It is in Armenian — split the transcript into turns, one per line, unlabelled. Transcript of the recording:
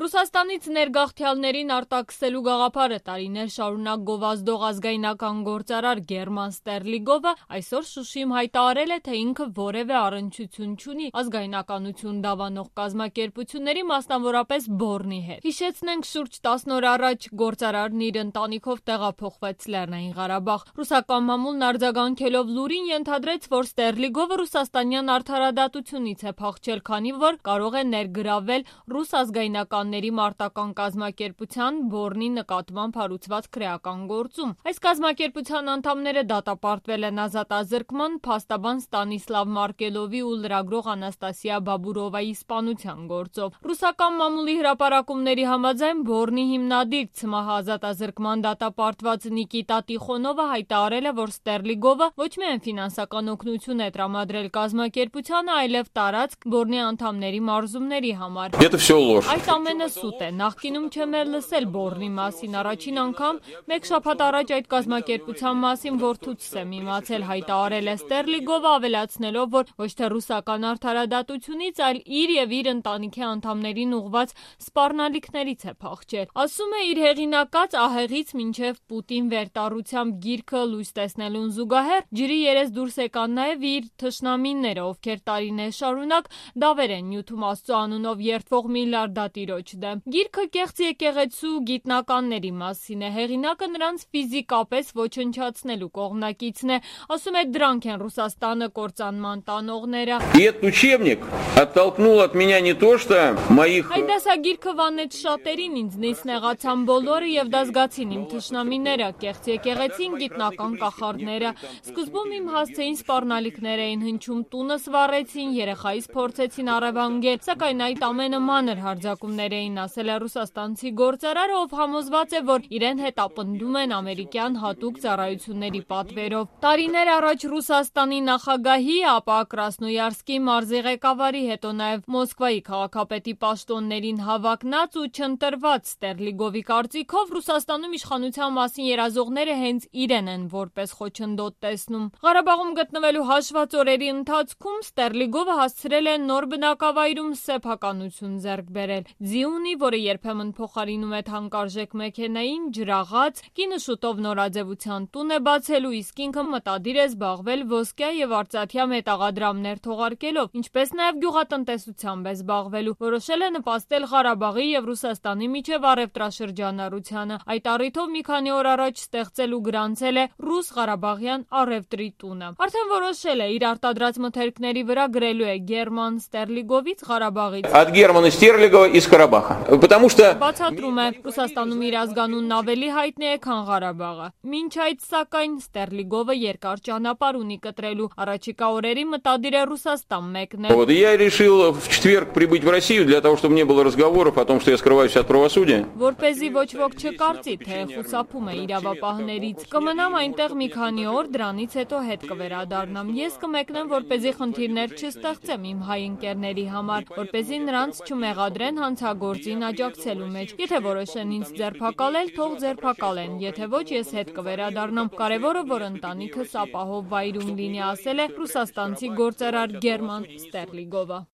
Ռուսաստանից ներգաղթյալներին արտաքսելու գաղափարը տարիներ շարունակ գովազդող ազգայնական գործարար Գերման Ստերլիգովը այսօր Շուշիում հայտարարել է, թե ինքը որևէ առնչություն չունի ազգայնականություն դավանող կազմակերպությունների, մասնավորապես Բորնի հետ։ Հիշեցնենք, շուրջ 10 օր առաջ գործարարն իր ընտանիքով տեղափոխվեց Լեռնային Ղարաբաղ։ Ռուսական մամուլն արձագանքելով լուրին ենթադրեց, որ Ստերլիգովը ռուսաստանյան արդարադատությունից է փախչել, քանի որ կարող է ներգրավել ռուս ազգայնականների մարտական կազմակերպության Բորնի նկատմամբ հարուցված քրեական գործում։ Այս կազմակերպության անդամները դատապարտվել են ազատազրկման, փաստաբան Ստանիսլավ Մարկելովի ու լրագրող Անաստասիա Բաբուրովայի սպանության գործով։ Ռուսական մամուլի հրապարակումների համաձայն Բորնի հիմնադիր ՑՄՀ ազատազրկման դատապարտված Նիկիտա Տիխոնովը հայտարարել է, որ Ստերլիգովը ոչ միայն ֆինանսական օգնություն է տրամադրել կազմակերպությանը, այլև տարածք Բորնի անդամների մարզումների համար։ Այդ ամենը սուտ է։ Նախկինում չեմ էլ լսել Բորնի մասին։ Առաջին անգամ մեկ շաբաթ առաջ այդ կազմակերպության մասին որդուց եմ իմացել, հայտարարել է Ստերլիգովը, ավելացնելով, որ ոչ թե ռուսական արդարադատությունից, այլ իր եւ իր ընտանիքի անդամներին ուղղված սպառնալիքներից է փախչել։ Ասում է, իր հեղինակած ահեղից մինչև Պուտին վերտառությամբ գիրքը լույս տեսնելուն զուգահեռ ջրի երես դուրս եկան նաև իր թշնամիները, ովքեր տարիներ շարունակ դավեր են նյութում Աստծո անունով երդվող միլիարդատիրոջ դեմ։ Գիրքը կեղծ եկեղեցու գիտնականների մասին է, հեղինակը նրանց ֆիզիկապես ոչնչացնելու կողմնակիցն է, ասում է, դրանք են Ռուսաստանը կործանման տանողները։ Այդ դասագիրքը վանեց շատերին, ինձնից նեղացան բոլորը եւ դա զգացին իմ թշնամիները, կեղծ եկեղեցին, գիտնական կախարդները։ Սկզբում իմ հասցեին սպառնալիքներ էին հնչում, տունս վառեցին, երեխայիս փորձեցին առևանգել, սակայն այդ ամենը մանր հարձակումներ էին, ասել է ռուսաստանցի գործարարը, ով համոզված է, որ իրեն հետապնդում են ամերիկյան հատուկ ծառայությունների պատվերով։ Տարիներ առաջ Ռուսաստանի նախագահի, ապա Կրասնոյարսկի մարզի ղեկավարի, հետո նաև Մոսկվայի քաղաքապետի պաշտոններին հավակնած ու չընտրված Ստերլիգովի կարծիքով Ռուսաստանում իշխանության մասին երազողները հենց իրեն են որպես խոչընդոտ տեսնում։ Ղարաբաղում գտնվելու հաշված օրերի ընթացքում Ստերլիգովը հասցրել է նոր բնակավայրում սեփականություն ձեռք բերել։ Ձի ունի, որը երբեմն փոխարինում է թանկարժեք մեքենային, ջրաղաց, կինը շուտով նորաձևության տուն է բացելու, իսկ ինքը մտադիր է զբաղվել ոսկյա եւ արծաթյա մետաղադրամներ թողարկելով, ինչպես նաեւ գյուղատնտեսությամբ է զբաղվելու։ Որոշել է նպաստել Ղարաբաղի եւ Ռուսաստանի միջև առևտրաշրջանառությանը։ Այդ առիթով մի քանի օր առաջ ստեղծել ու գրանցել է Ռուս-Ղարաբաղյան առևտրի տունը։ Արդեն որոշել է, իր արտադրած մթերքների վրա գրելու է Գերման Ստերլիգովից Ղարաբաղից։
От Германа Стерлигова из Карабаха. Потому что
բացատրում է, Ռուսաստանում իր ազգանունն ավելի հայտնի է, քան Ղարաբաղը։ Մինչ այդ, сакայն, Ստերլիգովը երկար ճանապարհ ունի կտրելու, առաջիկա օրերի մտադիր է Ռուսաստան մեկնել։
Вот я решил в четверг прибыть в Россию для того, чтобы не было разговоров о том, что я скрываюсь от правосудия.
Որպեսզի ոչ ոք չկարծի, թե խուսափում է իրավապահներից։ Կմնամ այնտեղ մի քանի օր, դրանից հետո հետ կվերադառնամ։ Ես կմեկնեմ, որպեսզի խնդիրներ չստեղծեմ իմ հայ ընկերների համար, որպեսզի նրանց չմեղադրեն հանցագործին աջակցելու մեջ։ Եթե որոշեն ինձ ձերբակալել, թող ձերբակալեն, եթե ոչ, ես հետ կվերադառնամ։ Կարևորը, որ ընտանիքս ապահով վայրում լինի, ասել է ռուսաստանցի գործարար Գերման Ստերլիգովը։